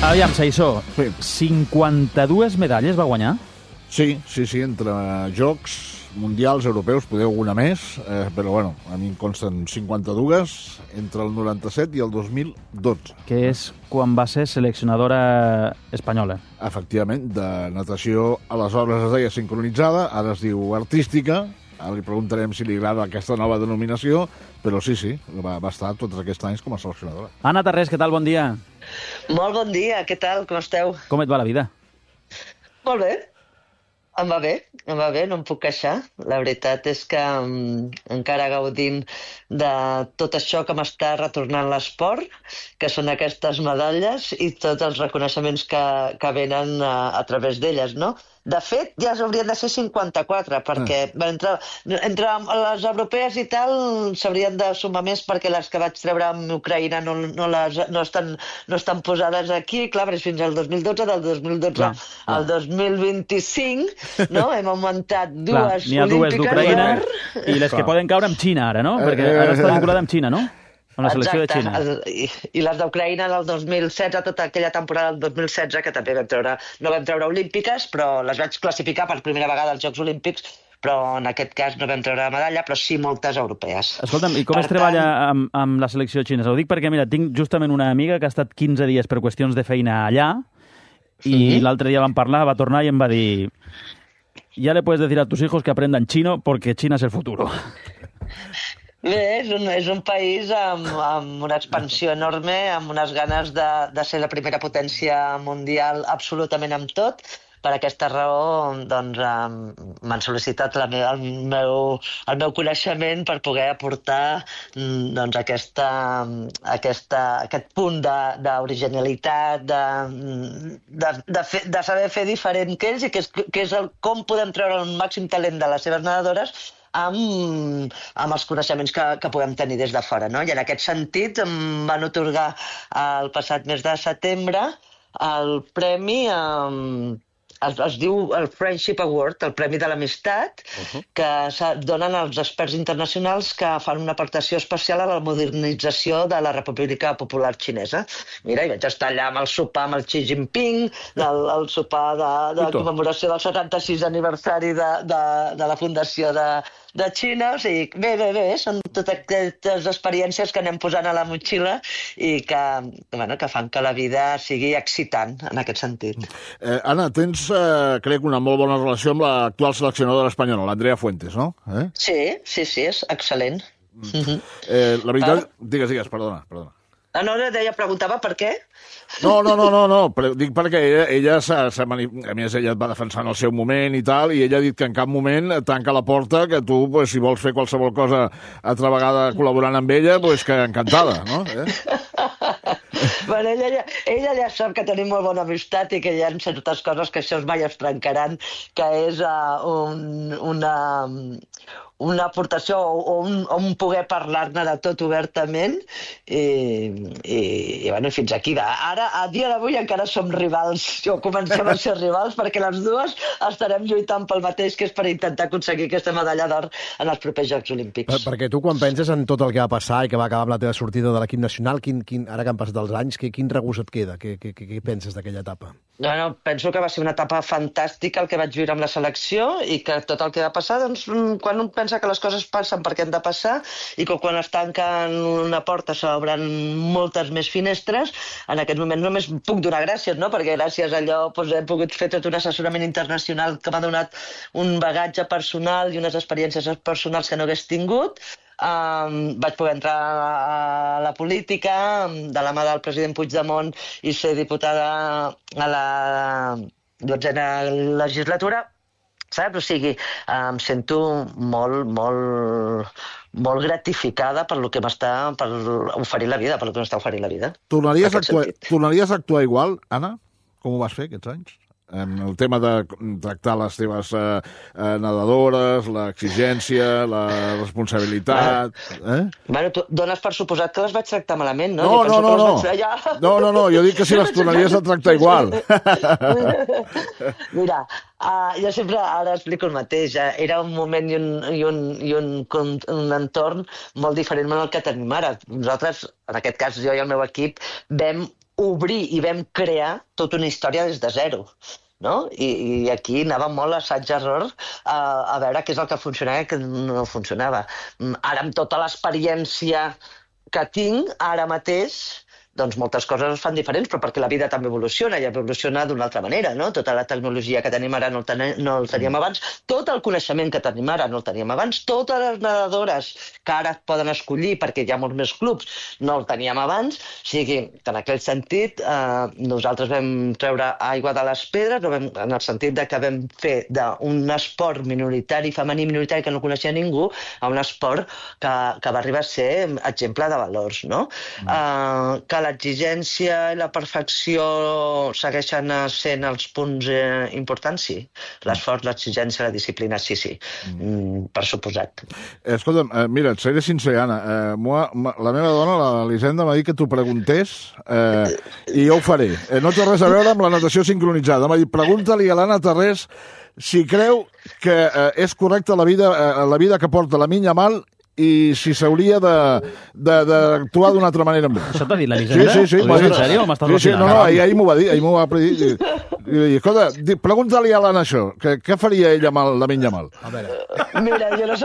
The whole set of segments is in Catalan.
Aviam, Saissó, 52 medalles va guanyar? Sí, entre jocs mundials, europeus, poder alguna més, però bueno, a mi em consten 52 entre el 97 i el 2012. Que és quan va ser seleccionadora espanyola. Efectivament, de natació aleshores es deia sincronitzada, ara es diu artística. Ara li preguntarem si li agrada aquesta nova denominació, però sí, va estar tots aquests anys com a seleccionadora. Anna Tarrés, què tal? Bon dia. Molt bon dia, què tal? Com esteu? Com et va la vida? Molt bé. Em va bé, no em puc queixar. La veritat és que encara gaudint de tot això que m'està retornant l'esport, que són aquestes medalles i tots els reconeixements que venen a través d'elles, no? De fet, ja haurien de ser 54, perquè entre les europees i tal s'haurien de sumar més, perquè les que vaig treure amb Ucraïna no estan posades aquí. Clar, però és fins al 2012, del 2012 al 2025, no? Hem augmentat dues olímpiques. N'hi ha dues d'Ucraïna i les que poden caure amb Xina ara, no? Perquè ara està vinculada amb Xina, no? Amb la selecció de Xina. I les d'Ucraïna del 2016, tota aquella temporada del 2016, que també no vam treure olímpiques, però les vaig classificar per primera vegada als Jocs Olímpics, però en aquest cas no vam treure medalla, però sí moltes europees. Escolta'm, i com es treballa amb la selecció xinesa? Ho dic perquè, mira, tinc justament una amiga que ha estat 15 dies per qüestions de feina allà, i l'altre dia vam parlar, va tornar i em va dir: ya le puedes decir a tus hijos que aprendan chino porque China es el futuro. Bé, és un país amb una expansió enorme, amb unes ganes de ser la primera potència mundial absolutament amb tot. Per aquesta raó, doncs, m'han sol·licitat el meu coneixement per poder aportar doncs, aquest punt d'originalitat, de saber fer diferent que ells, i que és com podem treure el màxim talent de les seves nedadores amb els coneixements que puguem tenir des de fora, no? I en aquest sentit em van atorgar el passat mes de setembre el premi, es diu el Friendship Award, el Premi de l'Amistat, que donen als experts internacionals que fan una aportació especial a la modernització de la República Popular Xinesa. Mira, hi vaig estar allà amb el sopar amb el Xi Jinping, el sopar de commemoració del 76 aniversari de la fundació de Xina. O sigui, bé, són totes aquestes experiències que anem posant a la motxilla i que fan que la vida sigui excitant, en aquest sentit. Anna, tens, crec, una molt bona relació amb l'actual seleccionadora espanyola, l'Andrea Fuentes, no? Sí, és excel·lent. La veritat... Digues, perdona. No, preguntava per què? No, dic perquè ella a més, ella et va defensar en el seu moment i tal, i ella ha dit que en cap moment tanca la porta, que tu, si vols fer qualsevol cosa altra vegada col·laborant amb ella, que encantada, no? Bueno, ella ja sap que tenim molt bona amistat i que hi ha certes coses que això mai es trencaran, que és una aportació o un poder parlar-ne de tot obertament i fins aquí. Ara, a dia d'avui, encara som rivals, o comencem a ser rivals, perquè les dues estarem lluitant pel mateix, que és per intentar aconseguir aquesta medalla d'or en els propers Jocs Olímpics. Perquè tu, quan penses en tot el que va passar i que va acabar amb la teva sortida de l'equip nacional, ara que han passat els anys, quin regust et queda? Què penses d'aquella etapa? No, penso que va ser una etapa fantàstica el que vaig viure amb la selecció, i que tot el que va passar, doncs, quan un pensa que les coses passen perquè han de passar i que quan es tanquen una porta s'obren moltes més finestres, en aquest moment només puc donar gràcies, no? Perquè gràcies a allò he pogut fer tot un assessorament internacional que m'ha donat un bagatge personal i unes experiències personals que no hagués tingut. Vaig poder entrar a la política de la mà del president Puigdemont i ser diputada a la 12a legislatura, saps? O sigui, em sento molt gratificada per oferir la vida, per el que m'està oferint la vida. Tornaries a actuar igual, Anna, com ho vas fer aquests anys? En el tema de tractar les teves nedadores, l'exigència, la responsabilitat... Bueno, tu dones per suposat que les vaig tractar malament, no? No, jo dic que si les tornaries a tractar igual. Mira, jo sempre ara explico el mateix. Era un moment i un entorn molt diferent del que tenim ara. Nosaltres, en aquest cas jo i el meu equip, vam obrir i vam crear tota una història des de zero. No? I aquí anava molt assaig-error a veure què és el que funcionava i què no funcionava. Ara, amb tota l'experiència que tinc, ara mateix, doncs moltes coses es fan diferents, però perquè la vida també evoluciona, i evoluciona d'una altra manera, no? Tota la tecnologia que tenim ara no el teníem abans, tot el coneixement que tenim ara no el teníem abans, totes les nedadores que ara poden escollir perquè hi ha molts més clubs no el teníem abans, o sigui, en aquell sentit, nosaltres vam treure aigua de les pedres, en el sentit que vam fer d'un esport minoritari, femení minoritari que no coneixia ningú, a un esport que va arribar a ser exemple de valors, no? Que l'exigència i la perfecció segueixen sent els punts importants, sí. L'esforç, l'exigència, la disciplina, sí. Per suposat. Escolta'm, mira, et seré sincer, Anna. La meva dona, l'Elisenda, m'ha dit que t'ho preguntés i jo ho faré. No té res a veure amb la natació sincronitzada. M'ha dit, pregunta-li a l'Anna Tarrés si creu que és correcta la vida que porta la Minya Mal i si s'hauria d'actuar d'una altra manera amb ell. Això t'ha dit l'Elisenda? Sí. Ho dius en sèrio o m'estàs vacil·lant? No, ahir m'ho va dir, m'ho va dir. Escolta, pregunta-li a l'Anna això, què faria ella amb la Minya Mal? A veure. Mira, jo no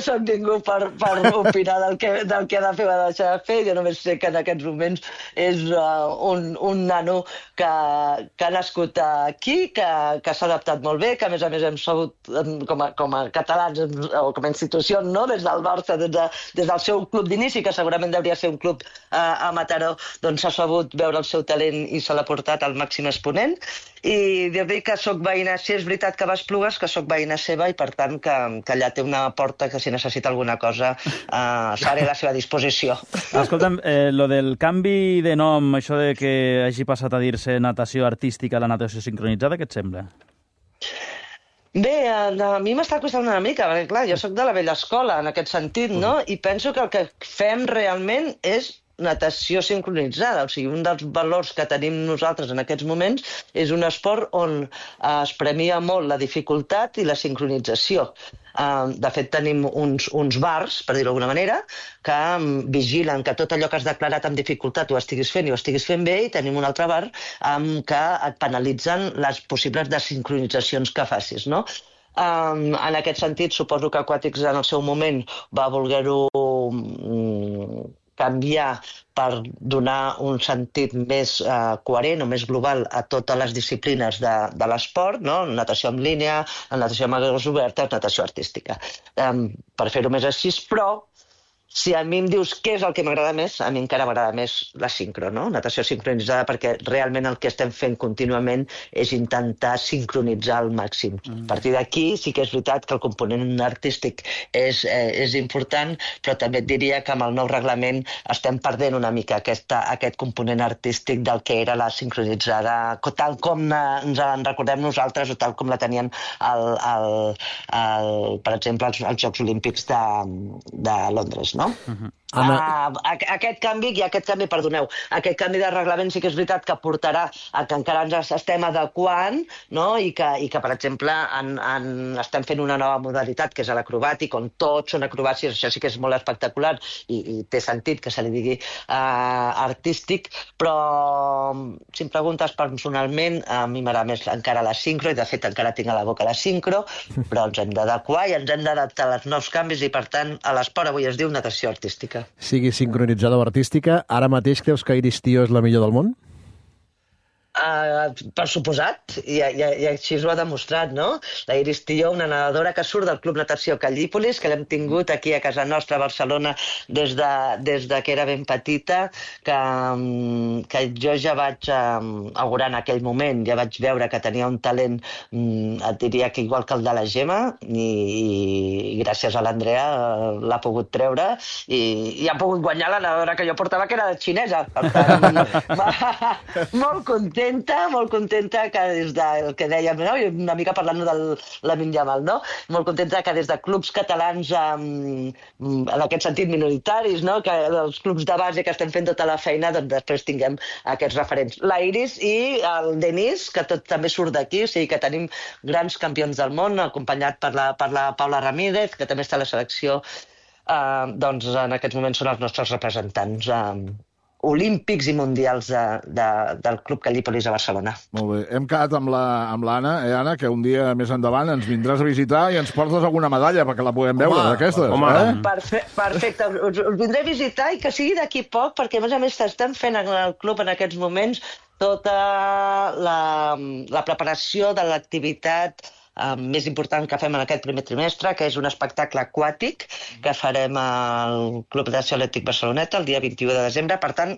soc ningú per opinar del que ha de fer o ha de deixar de fer, jo només sé que en aquests moments és un nano que ha nascut aquí, que s'ha adaptat molt bé, que a més hem sabut, com a catalans o com a institució, no? Des del Barça, des del seu club d'inici, que segurament hauria ser un club a Mataró, doncs s'ha sabut veure el seu talent i se l'ha portat al màxim exponent. I dir-li que soc veïna, si és veritat que va a Esplugues, que soc veïna seva i per tant que allà té una porta que si necessita alguna cosa seré a la seva disposició. Escolta'm, lo del canvi de nom, això de que hagi passat a dir-se natació artística a la natació sincronitzada, què et sembla? Bé, a mi m'està costant una mica, perquè clar, jo soc de la vella escola en aquest sentit, no? I penso que el que fem realment és natació sincronitzada, o sigui, un dels valors que tenim nosaltres en aquests moments és un esport on es premia molt la dificultat i la sincronització. De fet, tenim uns bars, per dir-ho d'alguna manera, que vigilen que tot allò que has declarat amb dificultat ho estiguis fent i ho estiguis fent bé, i tenim un altre bar que et penalitzen les possibles desincronitzacions que facis, no? En aquest sentit, suposo que Aquàtics en el seu moment va voler-ho canviar per donar un sentit més coherent o més global a totes les disciplines de l'esport, no? Natació en línia, natació amb aigües obertes, natació artística. Per fer-ho més així, però si a mi em dius què és el que m'agrada més, a mi encara m'agrada més la sincro, no? Natació sincronitzada, perquè realment el que estem fent contínuament és intentar sincronitzar al màxim. A partir d'aquí sí que és veritat que el component artístic és important, però també et diria que amb el nou reglament estem perdent una mica aquest component artístic del que era la sincronitzada, tal com ens en recordem nosaltres o tal com la tenien, per exemple, als Jocs Olímpics de Londres, no? Aquest canvi de reglament sí que és veritat que portarà a que encara ens estem adequant, no? I que, per exemple, estem fent una nova modalitat, que és l'acrobàtic, on tots són acrobàcies, això sí que és molt espectacular i té sentit que se li digui artístic, però si em preguntes personalment, a mi m'agrada més encara la sincro, i de fet encara tinc a la boca la sincro, però ens hem d'adequar i ens hem d'adaptar als nous canvis, i per tant a l'esport avui es diu natació artística. Sigui sincronitzada o artística, ara mateix creus que Iris Tío és la millor del món? Per suposat, i així ho ha demostrat, no? La Iris Tío, una nedadora que surt del Club Natació Callípolis, que l'hem tingut aquí a casa nostra a Barcelona des de que era ben petita, que jo ja vaig augurar en aquell moment, ja vaig veure que tenia un talent, et diria que igual que el de la Gemma, i gràcies a l'Andrea l'ha pogut treure i ha pogut guanyar la nedadora que jo portava, que era xinesa. Per tant, molt contenta que des del que dèiem, no? Una mica parlant de Lamine Yamal, no? Molt contenta que des de clubs catalans, en aquest sentit minoritaris, no? Que els clubs de base que estem fent tota la feina, doncs després tinguem aquests referents. La Iris i el Denis, que tot també surt d'aquí, o sigui que tenim grans campions del món, acompanyat per la Paula Ramírez, que també està a la selecció, doncs en aquests moments són els nostres representants olímpics i mundials del Club Cal·lípolis a Barcelona. Molt bé. Hem quedat amb l'Anna, Anna, que un dia més endavant ens vindràs a visitar i ens portes alguna medalla perquè la puguem veure, d'aquestes. Perfecte. Us vindré a visitar i que sigui d'aquí poc, perquè a més estan fent al club en aquests moments tota la preparació de l'activitat més important que fem en aquest primer trimestre, que és un espectacle aquàtic que farem al Club Natació Atlètic Barceloneta el dia 21 de desembre. Per tant,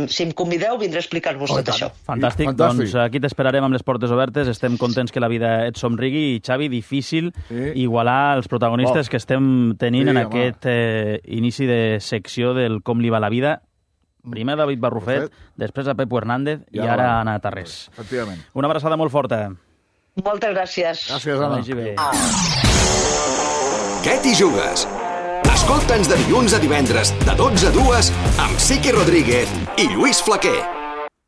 si em convideu, vindré a explicar-vos tot això. Fantàstic. Doncs aquí t'esperarem amb les portes obertes. Estem contents que la vida et somrigui. I, Xavi, difícil igualar els protagonistes que estem tenint en aquest inici de secció del Com li va la vida. Primer David Barrufet, després a Pepo Hernández i ara Anna Tarrés. Efectivament. Una abraçada molt forta. Moltes gràcies. Gràcies, Anna. Què t'hi jugues? Escolta'ns de dilluns a divendres, de 12 a 2, amb Siqui Rodríguez i Lluís Flaquer.